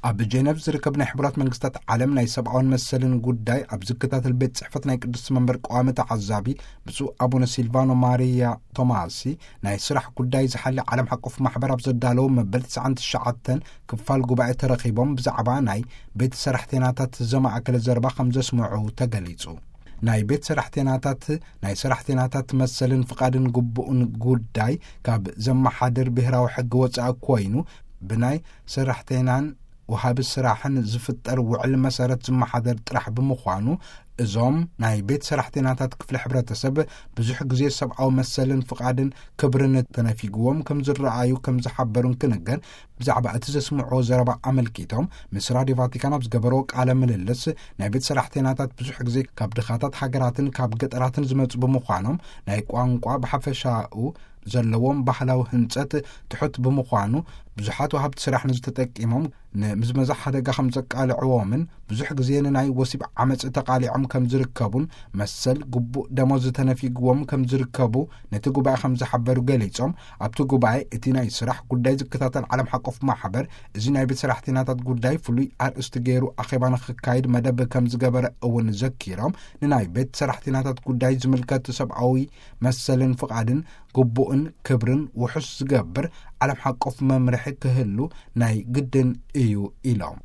ኣብ ጀነቭ ዝርከብ ናይ ሕቡራት መንግስታት ዓለም ናይ ሰብኣውን መሰልን ጉዳይ ኣብ ዝከታተል ቤት ጽሕፈት ናይ ቅዱስ መንበር ቀዋሚ ተዓዛቢ ብፁዕ ኣቡነ ሲልቫኖ ማሪያ ቶማሲ፣ ናይ ስራሕ ጉዳይ ዝሓሊ ዓለም ሓቆፍ ማሕበር ኣብ ዘዳለዎ መበል ትስዓን ትሽዓተን ክፋል ጉባኤ ተረኺቦም ብዛዕባ ናይ ቤት ሰራሕተኛታት ዘማእከለ ዘረባ ከም ዘስምዑ ተገሊጹ። ናይ ቤት ሰራሕተኛታት ናይ ሰራሕተኛታት መሰልን ፍቓድን ግቡእን ጉዳይ ካብ ዘመሓድር ብሔራዊ ሕጊ ወጻኢ ኮይኑ፣ ብናይ ሰራሕተኛን ወሃቢ ስራሕን ዝፍጠር ውዕል መሰረት ዝመሓደር ጥራሕ ብምዃኑ፣ እዞም ናይ ቤት ሰራሕተኛታት ክፍሊ ሕብረተሰብ ብዙሕ ግዜ ሰብኣዊ መሰልን ፍቓድን ክብርን ተነፊግዎም ከም ዝረኣዩ ከም ዝሓበሩን ክንገር፣ ብዛዕባ እቲ ዘስምዕዎ ዘረባ ኣመልኪቶም ምስ ራድዮ ቫቲካን ኣብ ዝገበርዎ ቃለ ምልልስ፣ ናይ ቤት ሰራሕተኛታት ብዙሕ ግዜ ካብ ድኻታት ሃገራትን ካብ ገጠራትን ዝመጹ ብምዃኖም፣ ናይ ቋንቋ ብሓፈሻኡ ዘለዎም ባህላዊ ህንጸት ትሑት ብምዃኑ፣ ብዙሓት ወሃብቲ ስራሕ ንዝተጠቂሞም ንምዝመዛ ሓደጋ ከም ዘቃልዕዎምን ብዙሕ ግዜ ንናይ ወሲብ ዓመጽ ተቃሊዖም ከም ዝርከቡን መሰል ግቡእ ደሞዝ ተነፊግዎም ከም ዝርከቡ ነቲ ጉባኤ ከም ዝሓበሩ ገሊጾም፣ ኣብቲ ጉባኤ እቲ ናይ ስራሕ ጉዳይ ዝከታተል ዓለም ሓቆፍ ማሕበር እዚ ናይ ቤት ሰራሕተኛታት ጉዳይ ፍሉይ ኣርእስቲ ገይሩ ኣኼባ ንክካይድ መደብ ከም ዝገበረ እውን ዘኪሮም፣ ንናይ ቤት ሰራሕተኛታት ጉዳይ ዝምልከት ሰብኣዊ መሰልን ፍቓድን ግቡእን ክብርን ውሑስ ዝገብር ዓለም ሓቆፍ መምርሒ ክህሉ ናይ ግድን እዩ ኢሎም።